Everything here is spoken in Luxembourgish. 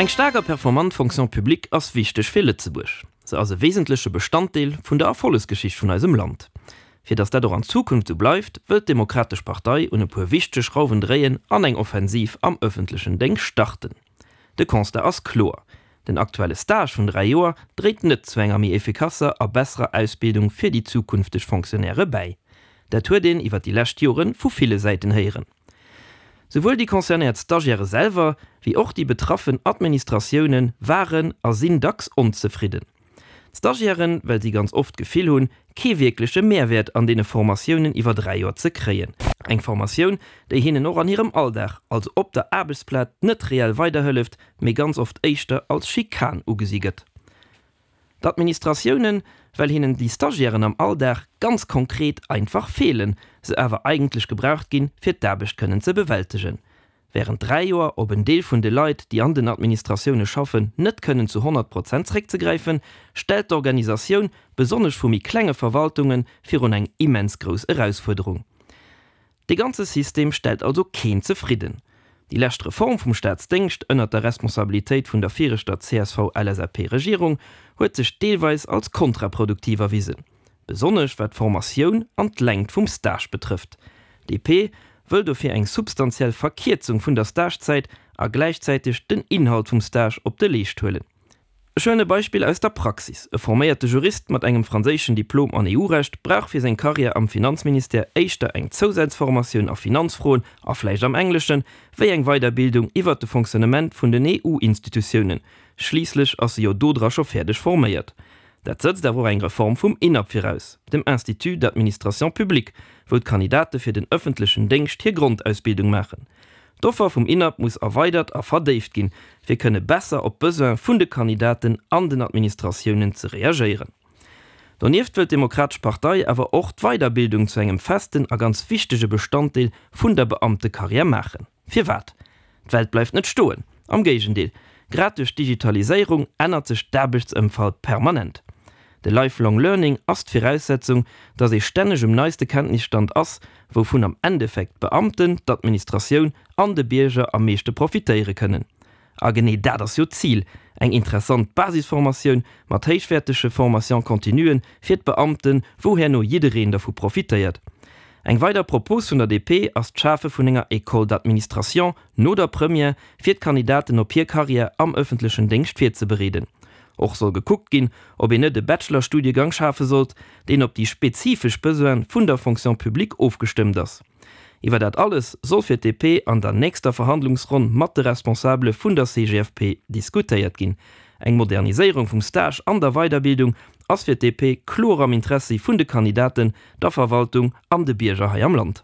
Eng staark a performant Fonction publique ass wichteg fir Lëtzebuerg. Se ass e wesentleche Bestanddeel vun der Erfollegsgeschicht vun eisem Land. Fir datt dat och an Zukunft esou bleift, wëllt d'Demokratesch Partei un e puer wichtege Schrauwen dréien an eng Offensiv am ëffentlechen Déngscht starten. De Constat ass kloer, Den aktuelle Stage vun 3 Joer dréit net zu enger méi effikasser a besserer Ausbildung fir déi zukünfteg Fonctionnairë bäi. Dat huet een iwwer déi lescht Jore vu ville Säiten héieren. Souwuel déi concernéiert Stagiairë selwer, wéi och déi betraffen Administratioune waren a sinn dacks onzefridden. D'Stagiairen, well si ganz oft d'Gefill hunn, kee wierkleche Mehrwäert an deene Formatiounen iwwer 3 Joer ze kréien. Eng Formatioun, déi hinnen och an hirem Alldag, also op der Aarbechtsplaz, net reell weiderhëlleft, mee ganz oft éischter als Schikan ugesi gëtt. D'Administratiounen, well hinnen déi Stagiairen am Alldag ganz konkret einfach feelen, se awer eigentlech gebraucht ginn, fir d'Aarbecht kënnen ze bewältegen. Während 3 Joer op en Deel vun de Leit, déi an den Administratioune schaffen, net kënnen zu 100 Prozent zréckzegräifen, stellt d'Organisatioun, besonnesch vu méi klenge Verwaltungen, virun eng immens grouss Erausfuerderung. Dee ganze System stellt also keen zefridden. Déi lescht Reform vum Staatsdéngscht ënnert der Responsabilitéit vun der viregter CSV-LSAP-Regierung huet sech deelweis als kontraproduktiv erwisen. Besonnesch wat d'Formatioun an d'Längt vum Stage betrëfft. DP wëll dofir eng substantiell Verkierzung vun der Stagezäit a gläichzäiteg den Inhalt vum Stage op de Leescht huelen. Ech huelen e Beispill aus der Praxis, E forméierte Jurist mat engem franséischen Diplom an EU-Recht brauch fir seng Karriär am Finanzministère éischter eng Zousazformatioun a Finanzfroen a vläicht am Engleschen, wéi eng Weiderbildung iwwert de Fonctionnement vun den EU-Institutiounen, schliisslech ass e jo dodra scho fäerdeg forméiert. Dat sëtzt awer och eng Reform vum INAP viraus, dem Institut d'administration publique, wou d'Kandidate fir den ëffentlechen Déngscht hir Grondausbildung maachen. D'Offer vum INAP muss erweidert a verdéift ginn, fir kënne besser op d'Besoin vun de Kandidaten an den Administratiounen ze reagéieren. Donieft wëllt d'Demokratesch Partei awer och d'Weiderbildung zu engem festen a ganz wichtege Bestanddeel vun der Beamtekarriär maachen. Firwat? D'Welt bleift net stoen, am Géigendeel, grad duerch d'Digitaliséierung ännert sech d'Aarbechtsëmfalt permanent. De Lifelong Learning ass d'Viraussetzung, datt ee stänneg um neiste Kenntnisstand ass, wouvun am Endeffekt d'Beamten, d'Administratioun an de Bierger am meeschte profitéiere kënnen. A genee dat ass jo d'Zil, eng interessant Basisformatioun mat héichwäertege Formation-continuen fir d'Beamten, wou herno jiddereen dervu profitéiert. Eng weider Propos vun der DP ass d'Schafe vun enger École d'administration no der Première, fir d'Kandidaten op hir Carrière am ëffentlechen Déngscht virzebereeden. Och soll gekuckt ginn, ob een net e Bachelor-Studiegang schafe sollt, deen op déi spezifesch Besoine vun der Fonction publique ofgestëmmt ass. Iwwer dat alles soll fir d'DP an der nächster Verhandlungsronn mat de Responsabele vun der CGFP diskutéiert ginn. Eng Moderniséierung vum Stage an der Weiderbildung ass fir d'DP kloer am Interessi vun de Kandidaten, der Verwaltung an de Bierger hei am Land.